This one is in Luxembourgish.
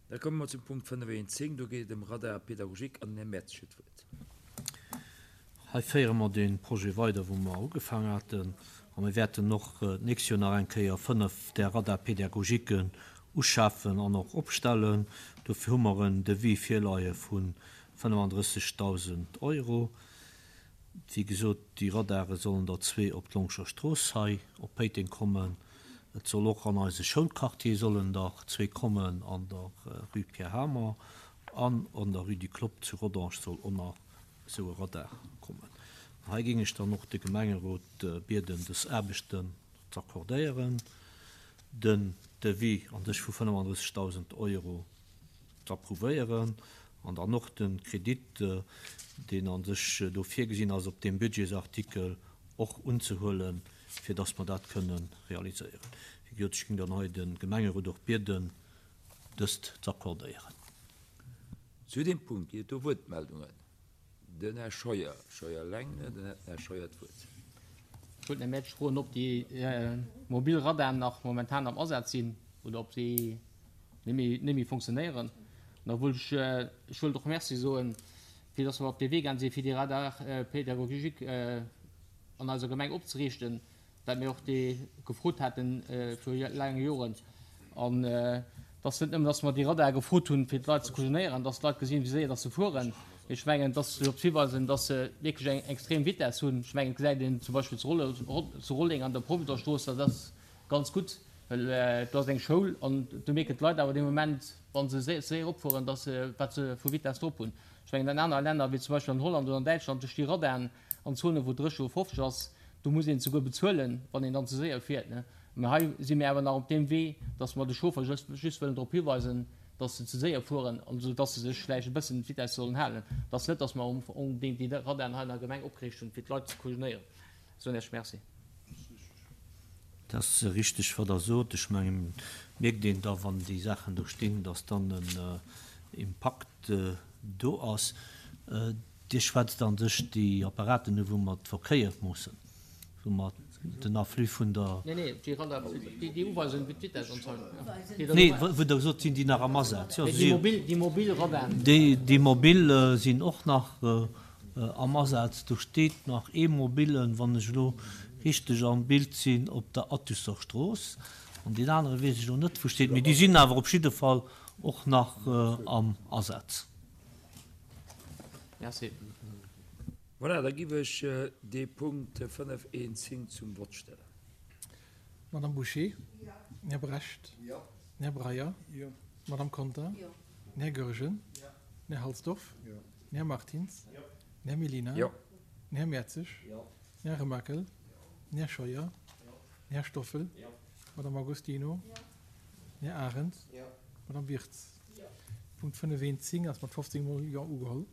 Da komme mer zum Punkt 5.1.10. Do geet et ëm Radar pédagogique an den Här Mertz huet d'Wuert. Hei féiere mer dee Projet weider, wou mer ugefaangen haten. A mir wäerten och d'nächst Joer nach eng Kéier 5 där Radar-pédagogiquen uschafen an och opstellen. Dofir hu mer en Devis virleie vu 35.000 Euro. Wéi gesot, déi Radare sollen der zwee op d'Longscher Strooss hei op Péiteng kommen. Et soll och an eise Schoulquartier sollen der zwee kommen, an der Rue Pierre Hamer an an der Rue du Clopp zu Rodange soll och nach esou e Radar kommen. An hei géing ech dann och de Gemengerot bieden, dës Aarbechten z'accordéieren, den Devis an sech vu 35.000 Euro z'approuvéieren an dann och de Kredit, deen a sech do virgesinn ass op deem Budgetsartikel, och unzehuelen, fir dass mer dat kënne realiséieren. Wéi gesot, ech géing dann hei de Gemengerot och bieden, dëst z'accordéieren. Zu deem Punkt ginn et do Wuertmeldungen. Den Här Scheuer, Scheuer eleng, dann hätt den Här Scheuer d'Wuert. Ech wollt den Här Mertsch froen, ob déi mobil Radaren nach momentan am Asaz sinn oder ob se net méi funktionéieren. An da wollt ech, ech wollt och Merci soen, fir dass mer op dee Wee gaang sinn, fir déi Radars pédagogiques an eiser Gemeng opzeriichten. wat mir och gefrot hate viru laange Joren, an et ass net nëmmen, dass mer déi Radare gefrot hunn, fir d'Leit ze kujonéieren, dass d'Leit gesinn, wéi séier dass se fueren, mee ech mengen, et ass drop hiweisen, dass se wierklech eng extrem Vitess hunn. Ech mengen, et gesäit een zum Beispill zu Rolleng an der Provisorstrooss, dat ass ganz gutt, well do ass eng Schoul an do mierken d'Leit awer dee Moment, wa se séier eropfueren, dass se, wat se vu Vitess drop hunn. Ech mengen, an anere Länner, wéi zum Beispill an Holland oder an Däitschland, do sti Radaren, An Zonen, wou 30 oder 50 ass, do muss een souguer bezuelen, wann een dann ze séier fiert. Mä hei si mir awer nach op deem Wee, dass mer de Chauffer just wëllen drop hiweisen, dass se ze séier fueren an esou dass se sech vläicht e bëssen un d'Vitesse sollen halen. Et ass net, dass mer onbedéngt déi Radaren hei an der Gemeng opgeriicht hunn, fir d'Leit ze kujonéieren. Soen Iech Merci. Et ass richteg, wat Der sot. Ech mengen, et mierkt een da, wann déi Saachen do stinn, dass dann en Impakt do ass. Dir schwätzt an sech déi Apparaten u wou mer d'Verkéier moossen, wou mer den Afflux vun der. Nee, nee, déi Radar, déi uweisen, wéi d'Vitesse anzeigen. Nee, wou Der gesot, sinn déi nach am Asaz? Jo, déi mobil, déi mobil Radaren. Déi mobil sinn och nach am Asaz. Do steet nach ee mobilen, wann ech elo richteg am Bild sinn, op der Attusser Strooss. An deen anere weess ech elo net, wou steet. Mee déi sinn awer op jidde Fall och nach am Asaz. Merci. Voilà, da giff ech dee Punkt 5, 1, 10 zum Vott stellen. Madame Bouché? Jo. Här Brecht? Jo. Här Breyer? Jo. Madame Conter? Jo. Här Goergen? Jo. Här Halsdorf? Jo. Här Martins? Jo. Här Mellina? Jo. Här Mertzig? Jo. Här Remakel? Jo. Här Scheuer? Jo. Här Stoffel? Jo. Madame Agostino? Jo. Här Arendt? Jo. Madame Wirtz? Punkt 5 1 10 ass mat 15 mol Jo ugeholl.